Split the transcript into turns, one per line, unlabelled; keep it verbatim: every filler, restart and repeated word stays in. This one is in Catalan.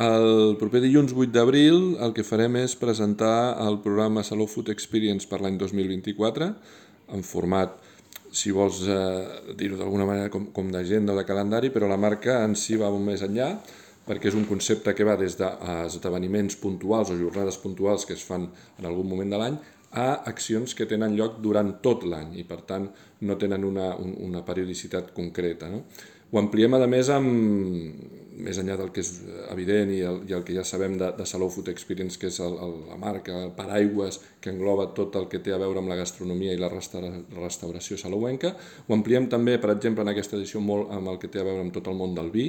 El proper dilluns vuit d'abril el que farem és presentar el programa Salou Food Experience per l'any dos mil vint-i-quatre en format, si vols eh, dir-ho d'alguna manera, com, com d'agenda o de calendari, però la marca en si va molt més enllà perquè és un concepte que va des d'esdeveniments puntuals o jornades puntuals que es fan en algun moment de l'any a accions que tenen lloc durant tot l'any i per tant no tenen una, un, una periodicitat concreta, no? Ho ampliem a més amb, més enllà del que és evident i el, i el que ja sabem de, de Salou Food Experience, que és el, el, la marca, el paraigües que engloba tot el que té a veure amb la gastronomia i la restaura, restauració salouenca. Ho ampliem també, per exemple, en aquesta edició molt amb el que té a veure amb tot el món del vi